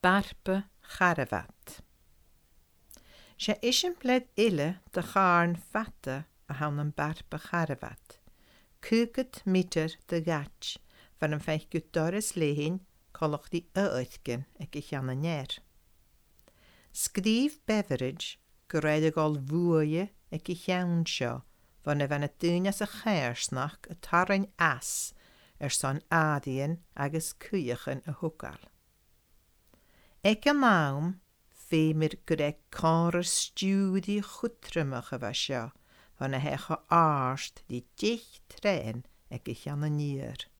Bearpa Charabhat. Sé eiseamláir eile de charn fata a thann an bearpa Charabhat, 50 mítear de dhait, far an feicthe doras léinn collachtaí amhaircin ag a cheann aniar. Scríobh Beveridge go raibh ag dul bhuaidhe ag a cheann seo fá na bheith na daoine as a charsnach a tarraing as ar son eadaíon agus cuíochan a thógáil. Ag an am, bhíomar go raibh córas stiúidí chutramach a bheith seo fá na heacha ard le deich dtréan ag a cheann aniar.